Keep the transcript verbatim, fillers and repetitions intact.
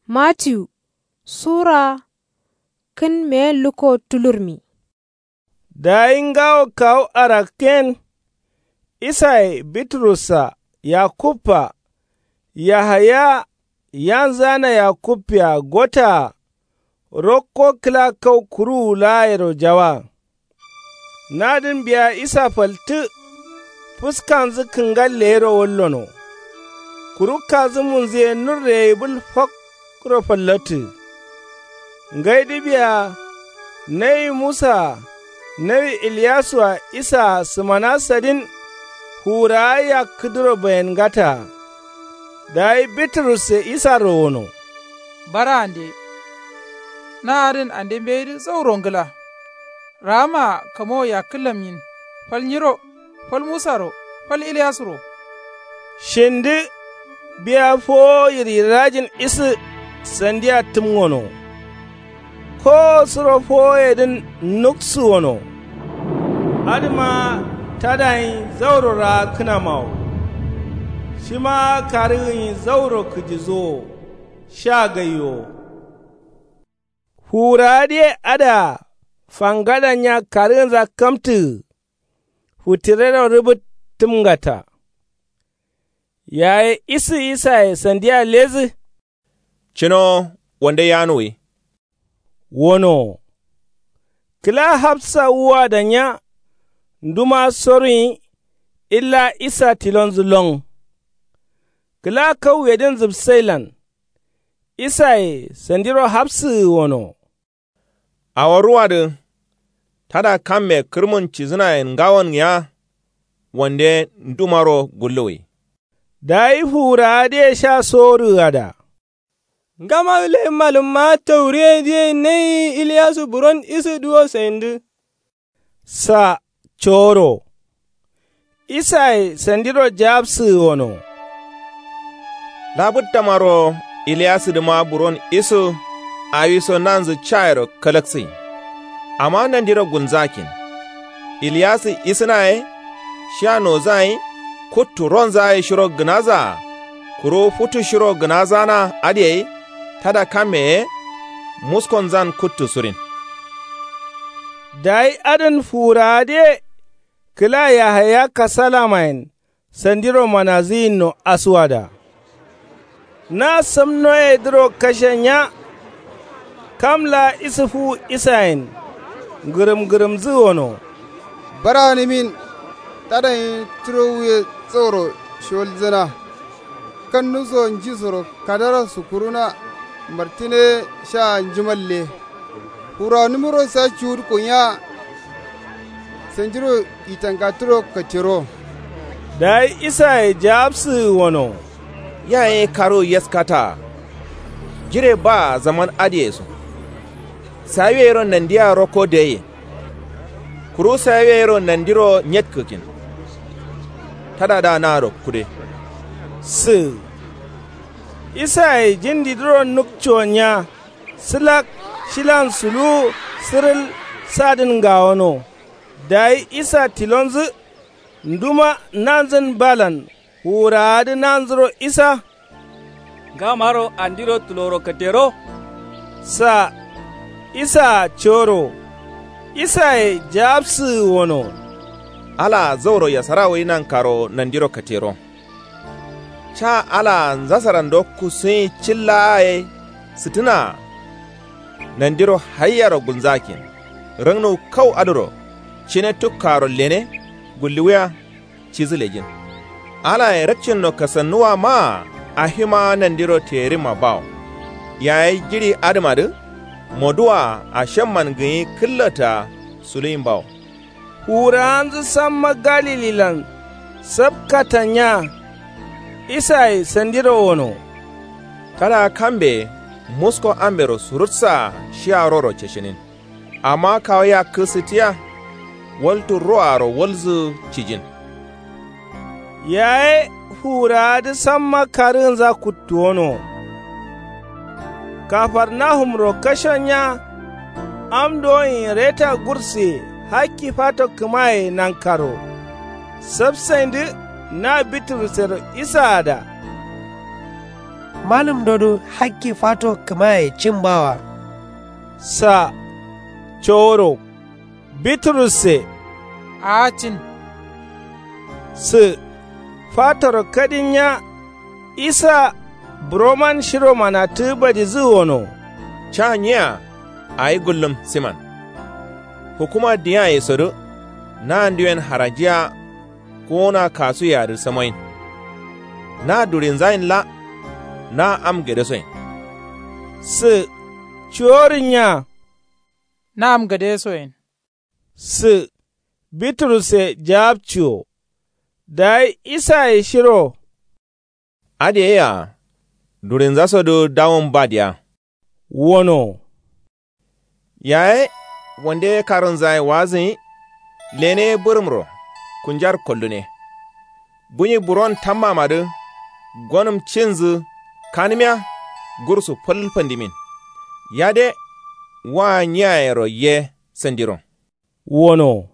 Matiyu sura kǝn meyen lukko tulurmi. Dayi ngawo kawu arakten, isaye, biturussa, yakubba, yahaya, yanzǝ ana yakubbiya gottaa, rokko kǝla kau kuruwu laayero jawa. Nadǝn biya isa faltǝ, fǝskanzǝ kǝngalle yero wallono. Kuru kazǝmunzǝ ye nurre ye bǝl fakkuro fallattǝ. Ngaidǝ biya nawi musa-a, nawi ilyasu-a, isa-a sǝmana sadin, fuwurawa yakkǝdǝro bayengataa. Dayi biturusse isaro wono. Bara ande. Na adǝn ande mbeyidǝ zauro ngla. Raama-a kamowo yakkǝllamnyin, fal nyiro, fal musaro, fal ilyasuro. Shindǝ biya fowo yiryirajin isǝ sandiya tǝmgono. Kowo suro fowoyedǝn nuksǝwono. Adǝma tadayen zauro raakkǝnamawo. Shima karǝgǝnyi zauro kǝjisuwo. Sha gaiwo. Fuwurawadǝye adǝa fangadanya karǝgǝnza kamtǝgǝ. Futirero rǝbǝt tǝmgata. Yaye isǝ isaye sandiya ledǝ. Cǝnowo wande yanuwi. Wonowo. Kǝla hapsa wuwa danya. Nduma soruyi. Illa isa tilonzǝ lon. Kǝla kauwedǝn zǝbsailan. Isaye sandiro hapsǝgǝ wono. Awo ruwadǝ. Tada kamme kǝrmun cidǝnayen ngawon gǝya. Wande ndumaro gulluwi. Dayi fuwurawadǝye sha sorǝgǝ ada. Ngamadǝ leyin malǝmma tauriyedǝ ye nayi ilyasu buron isǝ duwo saindǝ. Sa coro. Isaye sandiro jawabsǝgǝ wono. Labǝttamaro ilyasǝdǝma buron isǝ. Awiso nanzǝ cayero kalaksǝgǝ. Amma nandiro gulnzakin. Ilyasǝ isǝna ye. Shiya nozan ye. Kuttu ronza ye shiro gǝnazaa. Kuru futu shiro gǝnazana adǝ ye. Tada kamme ye. Muskonzan kuttu surin. Dayi adǝn fuwurawadǝye. Kǝla yahaya kasalamayen sandiro manazǝyinno asuwada. Na samnoyedǝro kashe nya. Kam laa isǝ fuwu isayen ngǝrǝm ngǝrǝmzǝ wono. Bara nimin. Tadanye turo wuye zauro shiwalzǝna. Kannu so nji soro kadaro sukkuruna. Martǝne sha njimalle. Furawanǝmuro sa cuwudǝ konya. Sandiro yitangattǝro katero. Dayi isaye jawabsǝgǝ wono. Yaye karu yaskata. Jire baa zaman adǝyeso. Sawiye yero nandiya rokko daiye. Kuru sawiye yero nandiro nyetkǝgǝn. Tadadǝa naro kude. Sǝgǝ. Isaye jindidǝro nukconya. Sǝlak shilan suluwu sǝrǝl. Sadǝn ngawono. Dayi isa tilonzǝ. Nduma nanzǝn balan fuwurawadǝ nanzǝro isa. Ngamaro andiro tuloro katero. Sa. Isaa coro. Isaye jawabsǝgǝ wono. Alaa zauro yasara wai nankaro nandiro katero. Ca alaa nzasarando kusuyi cillaa ye sǝtǝnaa. Nandiro haiyaro gulnzakin. Rangnuwu kau adǝro cine tukkaaro lene. Gulluwiya. Cidǝ lejin. Alayen rakcinno kasannuwa maa. Ahima nandiro terimma bawo. Yayi jiɍi adǝmadǝ. Moduwaa ashamman gǝnyi kǝllataa suluyin bawo. Fuwurawanzǝ samma galililan. Sapkatanya. Isaye sandiro wono. Tada kambe musko ambero surutsaa shiya roro ceshinin. Amma kawu yakkǝ sǝtiya. Waltu roaro walzǝ cijin. Yaye fuwurawadǝ samma karǝgǝnza kuttuwono. Kafarnahumro kashonya. Am doyin reta gursuye hakki fato kǝmaye nankaro. Sapsaindǝ na biturusero isaada. Malǝmdodǝ hakki fato kǝmaye cin bawa. Sa coworo biturusse aacin. Sǝ fatoro kadin nya isa buroman shiro manatǝ badizǝ wono. Ca nyiya awi gullum siman. Hukuma diyaye sodǝ na ndiwen harajiya kowona kasuye adǝ samoyin. Na durinzayin la na am gadesoyin. Sǝ cuworin nya na am gadesoyin. Sǝ biturusse jawabciwo. Dayi isaye shiro adǝ ye yea durinzasodǝ dawon ba diya. Wono yaye wande ye karǝnzaye wazǝnyi. Lene ye bǝrǝmro kunjar koldune. Bunyi buron tammamadǝ gonǝm cinzǝ kanǝmiya gursu fal fandimin. Yade waa nyiyayero ye sandiro. Wono